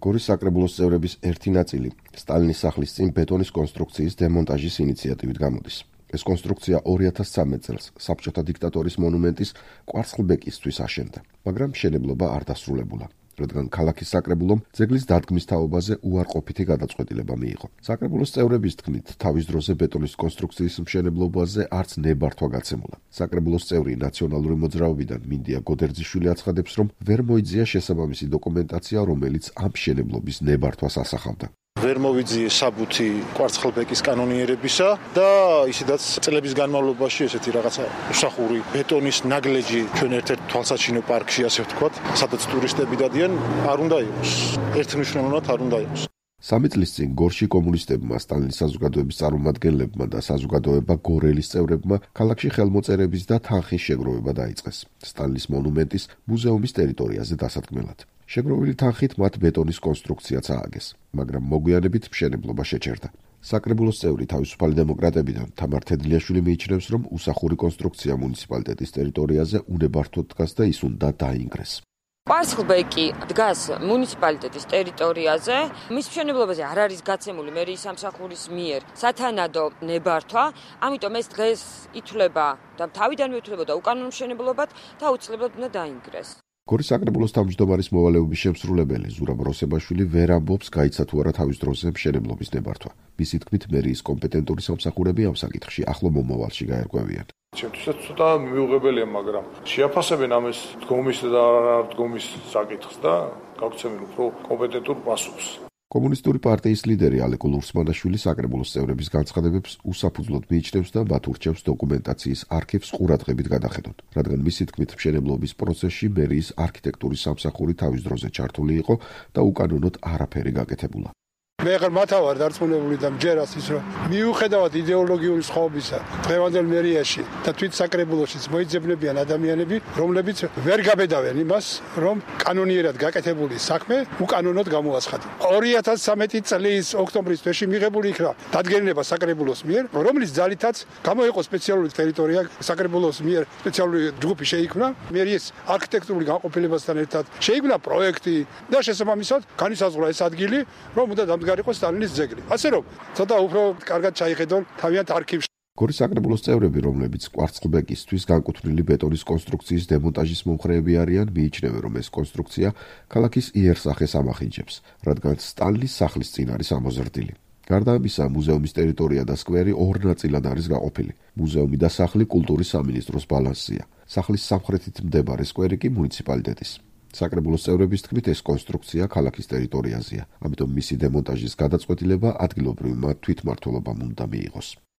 გორის საკრებულოს წევრების ერთი ნაწილი სტალინის სახლის წინ ბეტონის კონსტრუქციის დემონტაჟის ინიციატივით გამოდის. ეს კონსტრუქცია 2013 წელს საბჭოთა დიქტატორის მონუმენტის კვარცხლბეკისთვის აშენდა, მაგრამ მშენებლობა არ დასრულებულა, რადგან ქალაქის საკრებულომ ძეგლის დადგმის თაობაზე უარყოფითი გადაწყვეტილება მიიღო. საკრებულოს წევრების თქმით, თავის დროზე ბეტონის კონსტრუქციის მშენებლობაზე არც ნებართვა გაცემულა. საკრებულოს წევრი ნაციონალური მოძრაობიდან მინდია გოდერძიშვილი აცხადებს, რომ ვერ მოიძია შესაბამისი დოკუმენტაცია, რომელიც ამ მშენებლობის ნებართვას ასახავდა. ვერ მოვიძიე საბუთი კვარცხლბეკის კანონიერებისა და ისედაც წლების განმავლობაში ესეთი რაღაცა უსახური ბეტონის ნაგლეჯი ჩვენ ერთ-ერთ თვალსაჩინო პარკში, ასე ვთქვათ, სადაც ტურისტები დადიან, არ უნდა იყოს. ერთმნიშვნელოვნად არ უნდა იყოს. 3 წლის წინ გორში კომუნისტებმა, სტალინის საზოგადოების წარმომადგენლებმა და საზოგადოება გორელის წევრებმა ქალაქში ხელმოწერების და თანხის შეგროვება დაიწყეს სტალინის მონუმენტის მუზეუმის ტერიტორიაზე დასადგმელად. შეგროვილი თანხით მათ ბეტონის კონსტრუქციაც ააგეს, მაგრამ მოგვიანებით მშენებლობა შეჩერდა. საკრებულოს წევრი თავისუფალი დემოკრატებიდან თამარ თედლიაშვილი მიიჩნევს, რომ უსახური კონსტრუქცია მუნიციპალიტეტის ტერიტორიაზე უნებართვოდ დგას და ის უნდა დაინგრეს. კვარცხლბეკი დგას მუნიციპალიტეტის ტერიტორიაზე. მის მშენებლობაზე არ არის გაცემული მერიის სამსახურის მიერ სათანადო ნებართვა, ამიტომ ეს დღეს ითვლება და თავიდანვე ითვლებოდა უკანონო მშენებლობად და აუცილებლად უნდა დაინგრეს. გორის საკრებულოს თავმჯდომარის მოვალეობის შემსრულებელი ზურაბ როსებაშვილი ვერ ამბობს, გაიცა თუ არა თავის დროზე მშენებლობის ნებართვა. მისი თქმით, მერიის კომპეტენტური სამსახურები ამ საკითხში ახლო მომავალში გაერკვევიან. ჩემთვისაც ცოტა მიუღებელია, მაგრამ შეაფასებენ ამის დგომის და არ დგომის საკითხს და გაგცემენ უფრო კომპეტენტურ პასუხს. კომუნისტური პარტიის ლიდერი ალეკო ლურსმანაშვილი საკრებულოს წევრების განცხადებებს უსაფუძვლოდ მიიჩნევს და მათ ურჩევს დოკუმენტაციის არქივს ყურადღებით გადახედონ, რადგან მისი თქმით მშენებლობის პროცესში მერიის არქიტექტურის სამსახური თავის დროზე ჩართული იყო და უკანონოდ არაფერი გაკეთებულა. მე ხარ მათავარ დარწმუნებული და მჯერას ის რომ მიუხედავად იდეოლოგიური სხვაობისა დღევანდელ მერიაში და თვით საკრებულოშიც მოიძებნებიან ადამიანები, რომლებიც ვერ გაბედავენ იმას, რომ კანონიერად გაკეთებული საქმე უკანონოდ გამოაცხადა. 2013 წლის ოქტომბრის თვეში მიღებული იქნა დადგენილება საკრებულოს მიერ, რომლის ძალითაც გამოიყო სპეციალური ტერიტორია საკრებულოს მიერ სპეციალური ჯგუფი შეიქმნა, მერიის არქიტექტურული განყოფილებასთან ერთად შეიქმნა პროექტი და შესაბამისად განისაზღვრა ეს ადგილი, რომ უნდა იყო სტალინის ძეგლი. ასე რომ, ცოტა უფრო კარგად ჩაიხედონ თავიანთ არქივში. გორის საკრებულოს წევრები, რომლებიც კვარცხლბეკისთვის განკუთვნილი ბეტონის კონსტრუქციის დემონტაჟის მომხრეები არიან, მიიჩნევენ, რომ ეს კონსტრუქცია ქალაქის იერსახეს ამახინჯებს, რადგან სტალინის სახლის წინ არის ამოზრდილი. გარდა ამისა, მუზეუმის ტერიტორია და სკვერი ორ ნაწილად არის გაყოფილი. მუზეუმი და სახლი კულტურის სამინისტროს ბალანსია. სახლის სამხრეთით მდებარე სკვერი კი მუნიციპალიტეტის. საკრებულოს წევრების თქმით, ეს კონსტრუქცია ქალაქის ტერიტორიაზეა, ამიტომ მისი დემონტაჟის გადაწყვეტილება ადგილობრივმა თვითმმართველობამ უნდა მიიღოს.